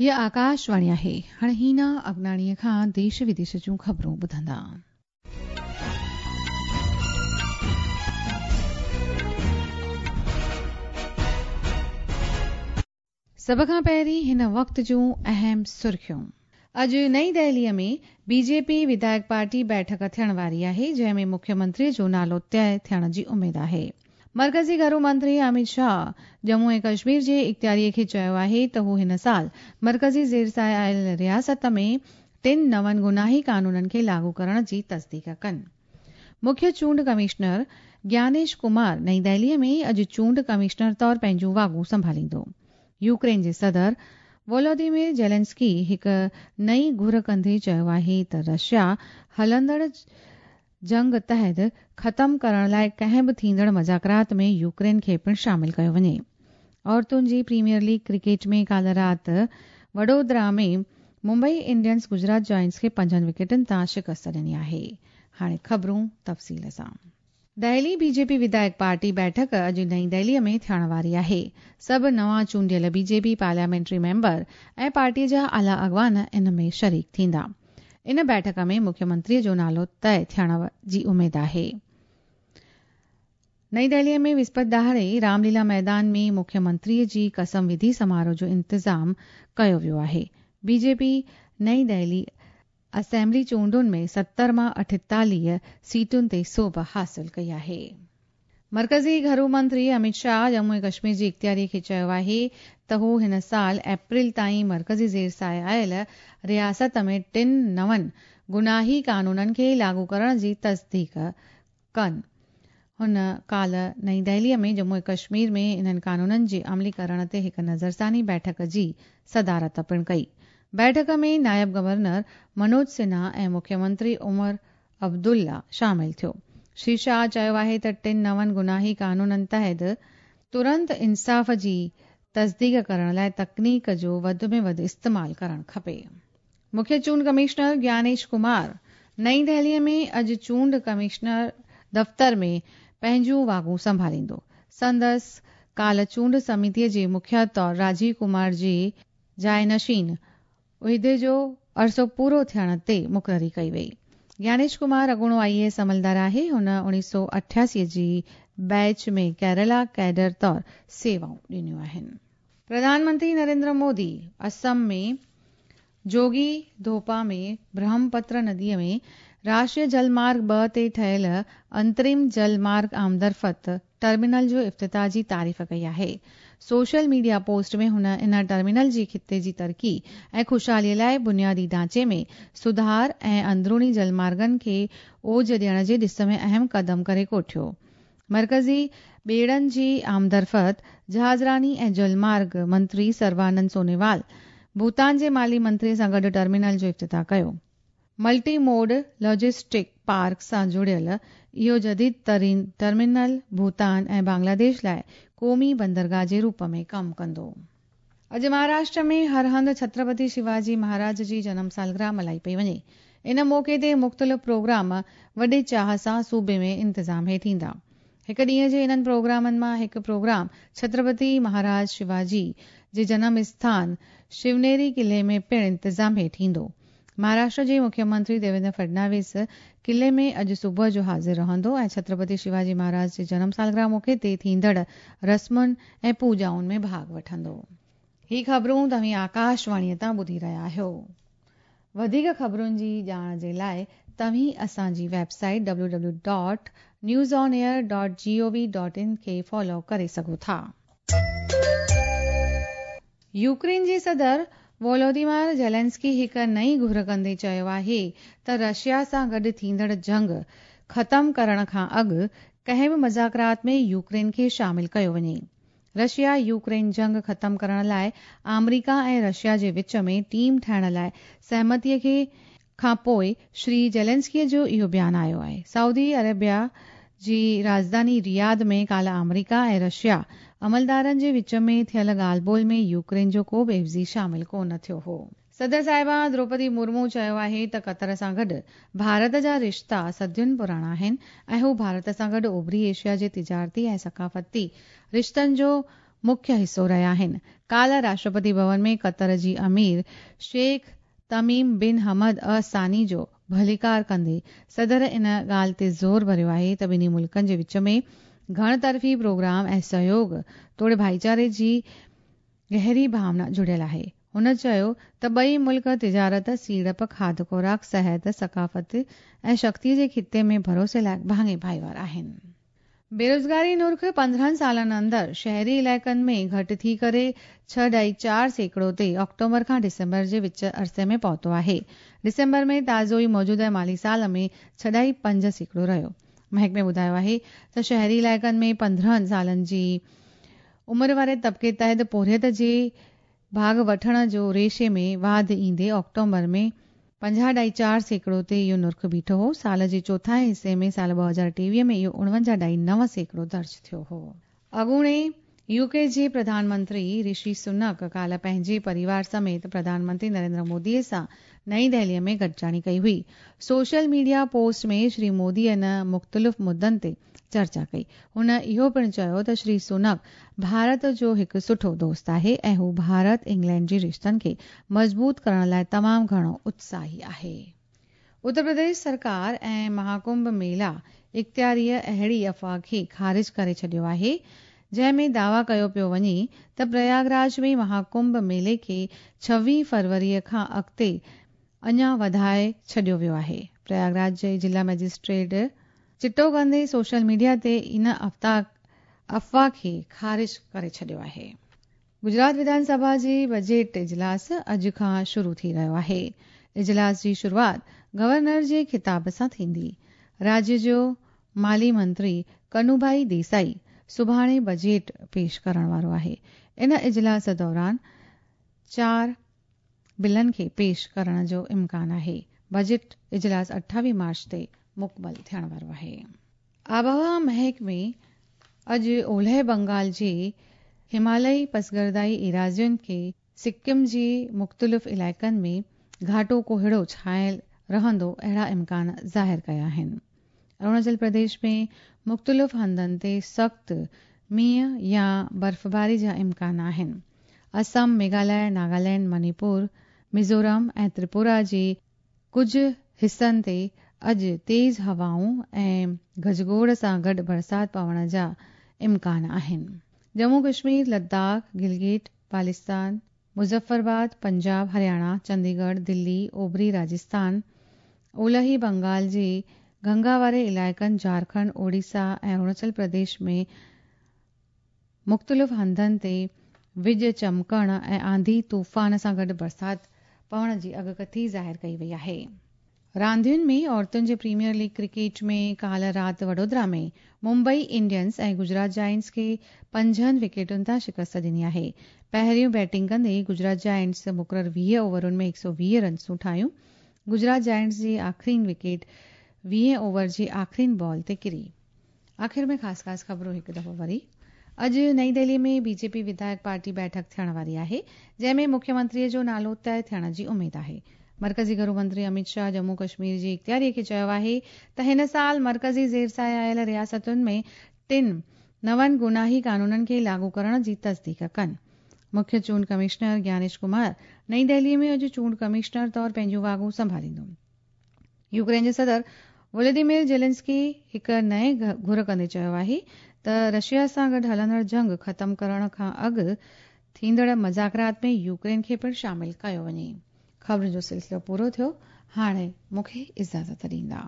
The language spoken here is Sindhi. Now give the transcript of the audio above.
هيء آڪاشواڻي آهي. هاڻي هينا اگناڻيء کان ديش وديش جون خبرون ٻڌندا. سڀ کان پهرين هن وقت جون اهم سرخيون. اڄ نئين دهليء ۾ بي جي پي وڌايڪ پارٽي بيٺڪ ٿيڻ واري آهي، جنهن ۾ مکيه منتري جو نالو طئي ٿيڻ جي اميد آهي. مرڪزي گهرو منتري اميت شاهه ڄمون ۽ ڪشمير جي اختياري کي چيو آهي ته هو هن سال مرڪزي زير سايه آيل رياست ۾ ٽن نون گناهي قانونن کي لاڳو ڪرڻ جي تصديق ڪن. مکيه چونڊ ڪمشنر گيانيش ڪمار نئين دهلي ۾ اڄ چونڊ ڪمشنر طور پنهنجون واڳون سنڀاليندو. يوڪرين جي صدر وولوديمير زيلنسڪي هڪ نئين گهر ڪندي چيو آهي ته رشيا هلندڙ جنگ تحت ختم ڪرڻ لاء ڪنهن به ٿيندڙ مذاڪرات ۾ يوڪرين کي پڻ شامل ڪيو وڃي. عورتن جي پريميئر ليگ ڪرڪيٽ ۾ ڪالهه رات وڊودرا ۾ ممبئي انڊينز گجرات جائنٽس کي پنجن وڪيٽن تان شڪست ڏني آهي. هاڻي خبرون تفصيل سان. دهلي بي جي پي وڌايڪ پارٽي بيٺڪ اڄ نئين دهلي ۾ ٿيڻ واري آهي. سڀ نوان چونڊيل بي جي پي پارليامينٽري ميمبر ۽ پارٽي جا اعليٰ اڳواڻ ان ۾ شريڪ ٿيندا. ان بيٺڪ ۾ مکيه منتري جو نالو طئي ٿيڻ جي اميد آهي. نئين دهلي ۾ وسپت ڏهاڙي رام ليلا ميدان ۾ مکيه منتري جي قسم وڌي سماروهه جو انتظام ڪيو ويو آهي. بي جي پي نئين دهلي اسيمبلي چونڊن ۾ 70 مان 48 سيٽن تي سوڀ حاصل ڪئي آهي. مرڪزي گهرو منتري اميت شاهه ڄمون ۽ ڪشمير جي اختياري کي چيو آهي ته هو هن سال اپريل تائين مرڪزي زير سايه آيل رياست ۾ ٽن نون گناهي قانونن کي لاڳو ڪرڻ جي تصديق ڪن. هن ڪالهه نئين دهلي ۾ ڄمون ۽ ڪشمير ۾ انهن قانونن جي عملي ڪرڻ تي هڪ نظرثاني بيٺڪ جي صدارت پڻ ڪئي. بيٺڪ ۾ نائب گورنر منوج سنها ۽ مکيه منتري عمر عبدالله شامل ٿيو. شري شاهه چيو آهي ته ٽن نون گناهي قانونن تحت ترنت انصاف جي تصديق ڪرڻ لاء تڪنيڪ جو وڌ ۾ وڌ استعمال ڪرڻ کپي. مکيه چونڊ ڪمشنر گيانيش ڪمار نئين دهلي ۾ اڄ چونڊ ڪمشنر دفتر ۾ پنهنجون واڳون سنڀاليندو. سندس ڪالهه چونڊ سميتي جي مکيه طور راجيو ڪمار جي جائنشين عهدي جو عرصو پورو ٿيڻ تي مقرري ڪئي وئي. گيانيش ڪمار اڳوڻو آء اي ايس عملدار آهي. هن 1988 جي بيچ ۾ ڪيرالا ڪيڊر طور سيوائون ڏنيون آهن. پرڌان منتري نريندر مودي اسم ۾ جوگي ڌوپا ۾ برهمپتر ندي ۾ راشٽريه جل مارگ 2 تي ٺهيل انترم جل مارگ آمدرفت ٽرمينل جو افتتاح جي تعريف ڪئي آهي. سوشل ميڊيا پوسٽ ۾ هن ان ٽرمينل جي خطي جي ترقي ۽ خوشحالي لاء بنيادي ڍانچي ۾ سڌار ۽ اندروني جل مارگن کي اوج ڏيڻ جي ڏس ۾ اهم قدم ڪري ڪوٺيو. مرڪزي ٻيڙن جي آمدرفت، جهازراني ۽ جل مارگ منتري سربانند سونووال ڀوتان جي مالي منتري سان گڏ ٽرمينل جو افتتاح ڪيو. ملٽي موڊ لاجسٽڪ پارڪ سان جڙيل اهو جديد ترين ٽرمينل ڀوتان ۽ بنگلاديش لاء قومي بندرگاهه جي روپ ۾ ڪم ڪندو. اڄ مهاراشٽر ۾ هر هنڌ ڇترپتي شيواجي مهاراج جي جنم سالگرهه ملهائي پئي وڃي. ان موقعي تي مختلف پروگرام وڏي چاهه سان صوبي ۾ انتظام هيٺ ايندا. هڪ ڏينهن جي انهن پروگرامن مان هڪ پروگرام ڇترپتي مهاراج شيواجي جي جنم اسٿان شونيري قلعي ۾ پڻ انتظام هيٺ ايندو. مهاراشٽر جي مکيه منتري ديويندر فڊناويس قلعي ۾ اڄ صبح جو حاضر رهندو ۽ ڇترپتي شيواجي مهاراج جي جنم سالگرهه موقعي تي ٿيندڙ رسمن ۽ پوڄائن ۾ ڀاڳ وٺندو. هي خبرون توهين آڪاشواڻيء تان ٻڌي رهيا آهيو. وڌيڪ خبرن جي ڄاڻ جي لاء توهين اسان جي web site W W dot news on air dot G O V dot in کي فالو ڪري سگهو ٿا. يوڪرين جي صدر وولوديمير زيلنسڪي هڪ نئين گهر ڪندي چيو آهي ته رشيا سان گڏ ٿيندڙ جنگ ختم ڪرڻ کان اڳ ڪنهن به مذاڪرات ۾ يوڪرين کي شامل ڪيو وڃي. رشيا يوڪرين جنگ ختم ڪرڻ لاء آمريڪا ۽ رشيا جي وچ ۾ ٽيم ٺاهڻ لاء سهمتي کي کان پوء شري زيلنسڪي جو اهو بيان آيو آهي. سعودي عربيه جي راڄڌاني رياض ۾ ڪالهه آمريڪا ۽ رشيا عملدارن جي وچ ۾ ٿيل ڳالهه ٻولهه ۾ يوڪرين جو ڪو به عيوضي شامل ڪو نه ٿيو هو. صدر صاحبه دروپدي مرمو چيو آهي ته قطر سان گڏ ڀارت جا رشتا صدين پراڻا آهن ۽ هو ڀارت سان گڏ اوڀري ايشيا جي تجارتي ۽ ثقافتي رشتن جو مکيه حصو رهيا آهن. ڪالهه راشٽرپتي ڀون ۾ قطر جي امير شيخ تميم بن حمد ال ثاني جو ڀليڪار ڪندي صدر ان ڳالهه تي زور ڀريو آهي ته ٻنهي ملڪن جي وچ ۾ گهڻ طرفي پروگرام ۽ سهيوڳ توڙي ڀائيچاري جي گهري ڀاونا جڙيل آهي. هن چيو ته ٻئي ملڪ تجارت، سيڙپ، کاڌ خوراڪ، صحت، ثقافت ۽ شڪتي جي خطي ۾ ڀروسي لائق ڀاڱي ڀائيوار آهن. بيروزگاري نرخ 15 سالن اندر شهري علائقن ۾ گهٽ ٿي ڪري 6.4% تي آڪٽوبر کان ڊسمبر جي وچ عرصي ۾ پهتو آهي. ڊسمبر ۾ تازو ئي موجوده مالي سال ۾ 6.5% رهيو. محڪمي ٻڌايو آهي ته شهري علائقن ۾ 15 سالن جي عمر واري طبقي تحت پورهيت جي ڀاڳ وٺڻ جو ريشي ۾ واڌ ايندي آڪٽوبر ۾ 50.4% تي اهو نرخ بيٺو هو. سال جي چوٿائين حصي ۾ سال 2023 ۾ اهو 49.9% درج ٿيو هو. اڳوڻي يو ڪي جي پرڌان منتري رشي سنڪ ڪالهه پنهنجي پريوار سميت پرڌان منتري نريندر مودي سان نئين دهلي ۾ گڏجاڻي ڪئي هئي. Social media post ۾ Shri Modi ان مختلف مدن تي چرچا ڪئي. هن اهو پڻ چيو ته شري سونڪ ڀارت جو هڪ سٺو دوست آهي ۽ هو ڀارت انگلينڊ جي رشتن کي مضبوط ڪرڻ لاء تمام گهڻو اتساهي آهي. اتر پرديش سرڪار ۽ مهاڪنڀ ميلا اختياريء اهڙي افواهه کي خارج ڪري ڇڏيو آهي جنهن ۾ دعويٰ ڪيو پيو وڃي ته پرياگراج ۾ مهاڪنڀ ميلي کي 26 فروريء کان اڳتي اڃا وڌائي ڇڏيو ويو آهي. پرياگراج جي ضلع مئجسٽريٽ چٽو ڪندي سوشل ميڊيا تي ان افواهه کي خارج ڪري ڇڏيو آهي. گجرات وڌان سڀا جي بجيٽ اجلاس اڄ کان شروع ٿي رهيو آهي. اجلاس جي شروعات گورنر جي خطاب سان ٿيندي. راجيه جو مالي منتري ڪنوڀائي ديسائي سڀاڻي بجيٽ پيش ڪرڻ وارو آهي. ان اجلاس دوران چار بلن کي پيش ڪرڻ جو امڪان آهي. بجيٽ اجلاس 28 مارچ تي مڪمل ٿيڻ وارو آهي. آبهوا محڪمي اڄ اولهه بنگال جي همالئي پسگردائي ايراضين کي سڪم جي مختلف علائقن ۾ گهاٽو ڪوهيڙو ڇانيل رهندو اهڙا امڪان ظاهر ڪيا آهن. اروناچل پرديش ۾ مختلف هنڌن تي سخت مينهن يا برفباري جا امڪان آهن. اسم، ميگهاليه، ناگالينڊ، منيپور، ميزورم ۽ تريپورا جي ڪجهه حصن تي اڄ تيز هوائون ۽ گجگوڙ سان گڏ برسات پوڻ جا امڪان آهن. ڄمون ڪشمير، لداخ، گلگت بالستان، مظفرآباد، پنجاب، هرياڻا، چنديڳڙهه، دلي، اوڀري راجسٿان، اولهي بنگال جي گنگا واري علائقن، جهارکنڊ، اوڙيسا ۽ اروناچل پرديش ۾ مختلف هنڌن تي وڄ چمڪڻ ۽ آنڌي طوفان سان گڏ برسات پوڻ جي اڳڪٿي ظاهر ڪئي وئي آهي. راندين ۾ عورتن جي پريميئر ليگ ڪرڪيٽ ۾ ڪالهه رات وڊودرا ۾ ممبئي انڊينز ۽ گجرات جائنٽس کي پنجن وڪيٽن تان شڪست ڏني آهي. پهريون بيٽنگ ڪندي گجرات جائنٽس مقرر 20 اوورن ۾ 120 رنسون ٺاهيون. گجرات جائنٽس جي آخرين وڪيٽ 20 اوور جي آخرين بال تي ڪري. آخر ۾ خاص خاص خبرون هڪ دفعو وري. اڄ نئين دهلي ۾ بي جي پي وڌايڪ پارٽي بيٺڪ ٿيڻ واري آهي، جنهن ۾ مکيه منتري جو نالو طئي ٿيڻ جي اميد آهي. مرڪزي گهرو منتري اميت شاهه ڄمون ڪشمير جي اختياري کي چيو آهي ته هن سال مرڪزي زير سايه آيل رياستن ۾ ٽن نون گناهي قانونن کي لاڳو ڪرڻ جي تصديق ڪن. مکيه چونڊ ڪمشنر گيانيش ڪمار نئين دهلي ۾ اڄ چونڊ ڪمشنر طور پنهنجون واڳون سنڀاليندو. يوڪرين جي صدر ولاديمير زيلنسڪي هڪ نئين گهر ڪندي چيو آهي ته رشيا سان گڏ هلندڙ جنگ ختم ڪرڻ کان اڳ ٿيندڙ مذاڪرات ۾ يوڪرين کي پڻ شامل ڪيو وڃي. خبرن جو سلسلو پورو ٿيو، هاڻي مون کي اجازت ڏيندا.